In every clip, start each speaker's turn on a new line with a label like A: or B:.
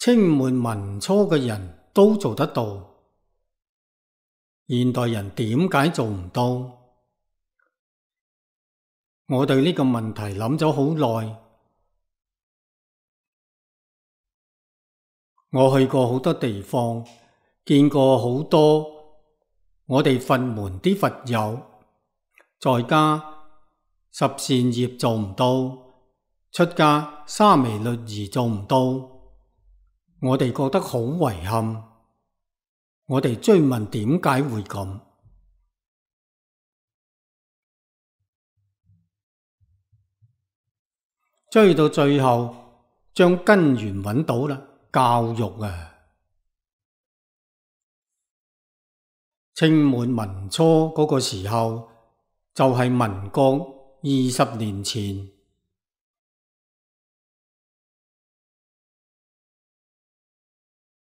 A: 清末民初嘅人都做得到，現代人點解做唔到？我對呢個問題諗咗好耐。我去過好多地方，見過好多我哋佛門啲佛友，在家十善業做唔到，出家沙彌律儀做唔到，我哋覺得好遺憾。我哋追問點解會咁？追到最後，將根源揾到啦。教育啊，清末民初嗰個時候，就係民國20年前。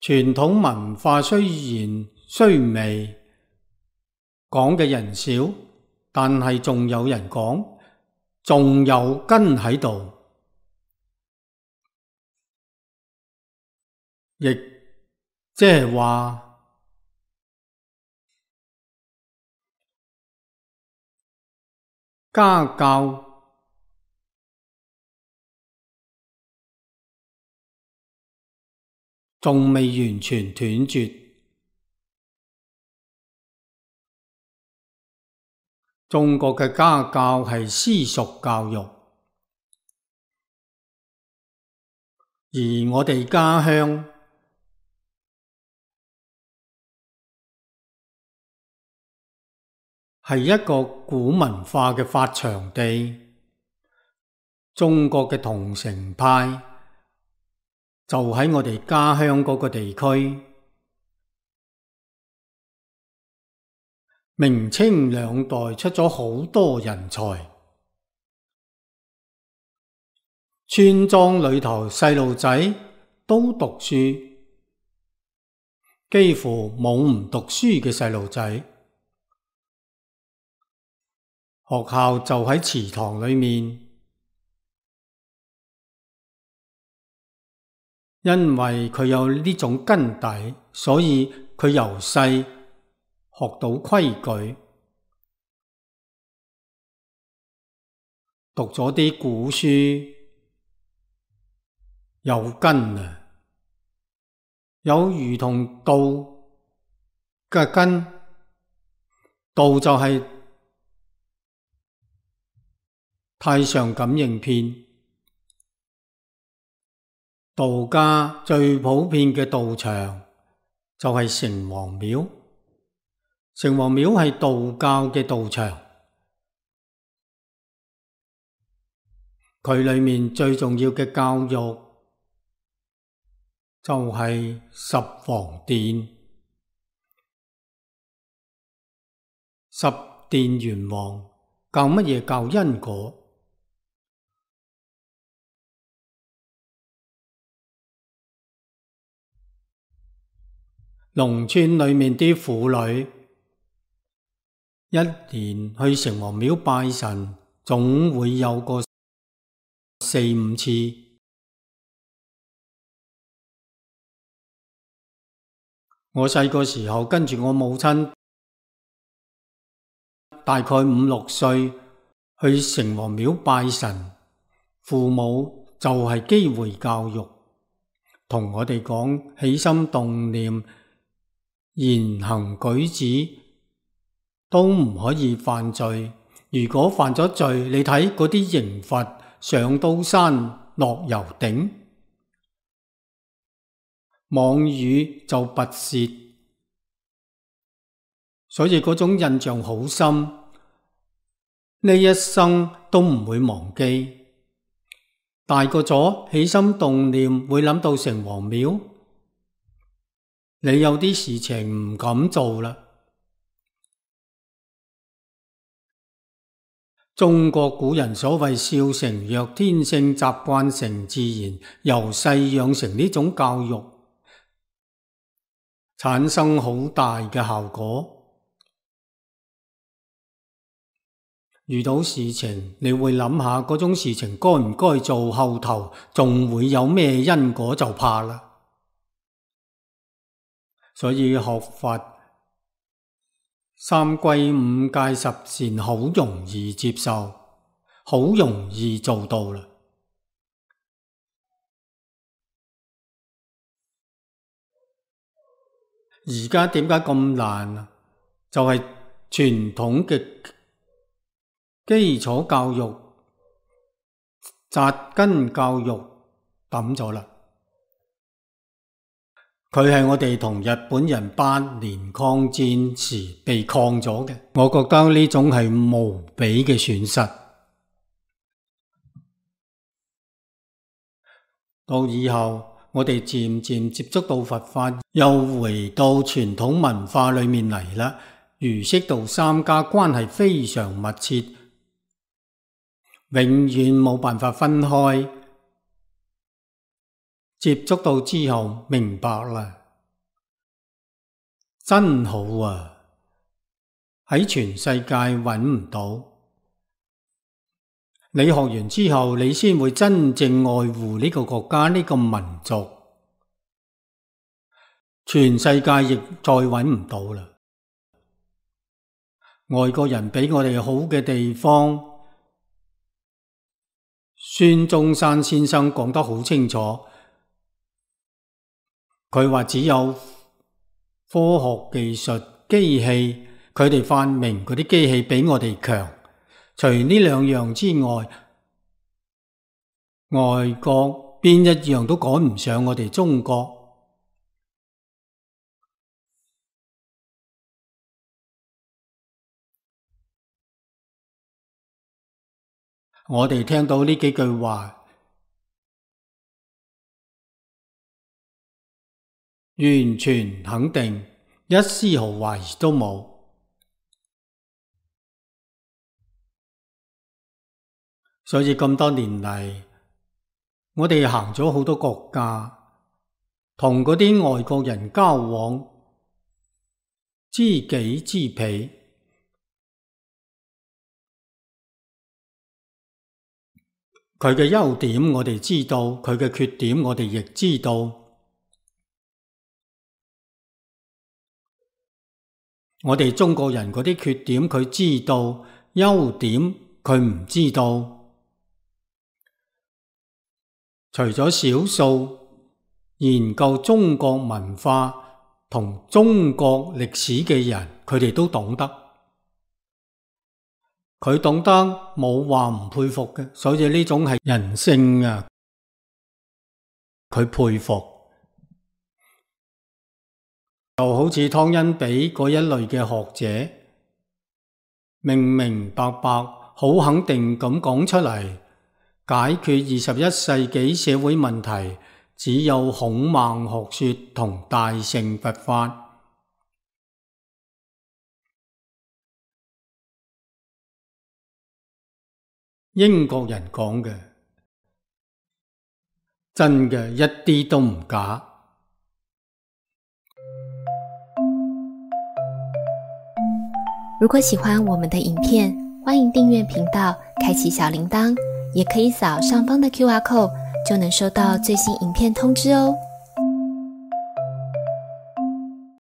A: 傳統文化雖然衰微，講嘅人少，但係仲有人講，仲有根喺度。亦即係話，家教仲未完全斷絕。中國嘅家教係私塾教育，而我哋家鄉係一個古文化嘅發祥地，中國嘅桐城派就喺我哋家鄉嗰個地區。明清兩代出咗好多人才，村莊裏頭細路仔都讀書，幾乎冇唔讀書嘅細路仔。學校就喺祠堂裏面，因為佢有呢種根底，所以佢由細學到規矩，讀咗啲古書，有根啊，有如同道嘅根，道就係太上感應篇，道家最普遍嘅道場就係城隍廟。城隍廟係道教嘅道場，佢裏面最重要嘅教育就係十皇殿。十殿元王教乜嘢？教因果。農村裏面啲婦女一年去城隍廟拜神，總會有個4-5次。我細個時候跟住我母親，大概5-6歲去城隍廟拜神，父母就係機會教育，同我哋講起心動念、言行舉止都唔可以犯罪。如果犯咗罪，你睇嗰啲刑罰，上刀山落油鼎，妄語就拔舌，所以嗰種印象好深，呢一生都唔會忘記。大個咗，起心動念會諗到城隍廟，你有啲事情唔敢做啦。中國古人所謂少成若天性，習慣成自然，由細養成呢種教育，產生好大嘅效果。遇到事情，你會諗下嗰種事情該唔該做，後頭仲會有咩因果，就怕啦。所以學佛三歸五戒十善好容易接受，好容易做到啦。而家點解咁難啊？就係傳統嘅基礎教育、紮根教育抌咗啦。佢係我哋同日本人8年抗戰時被抗咗嘅，我覺得呢種係無比嘅損失。到以後我哋漸漸接觸到佛法，又回到傳統文化裏面嚟啦。儒釋道三家關係非常密切，永遠冇辦法分開。接觸到之後明白啦，真好啊！喺全世界揾唔到。你學完之後，你先會真正愛護呢個國家、呢個民族。全世界亦再揾唔到啦。外國人比我哋好嘅地方，孫中山先生講得好清楚。佢話只有科學技術、機器，佢哋發明嗰啲機器比我哋強。除呢兩樣之外，外國邊一樣都趕唔上我哋中國。我哋聽到呢幾句話，完全肯定，一絲毫懷疑都冇。所以咁多年嚟，我哋行咗好多國家，同嗰啲外國人交往，知己知彼。佢嘅優點我哋知道，佢嘅缺點我哋亦知道。我哋中國人嗰啲缺點佢知道，優點佢唔知道。除咗少數研究中國文化同中國歷史嘅人，佢哋都懂得。佢懂得冇話唔佩服嘅，所以呢種係人性啊，佢佩服。就好似湯恩比嗰一類嘅學者，明明白白好肯定咁講出嚟，解決21世紀社會問題，只有孔孟學說同大乘佛法。英國人講嘅，真嘅一啲都唔假。
B: 如果喜歡我們的影片，歡迎訂閱頻道，開啟小鈴鐺，也可以掃上方的QR code，就能收到最新影片通知哦。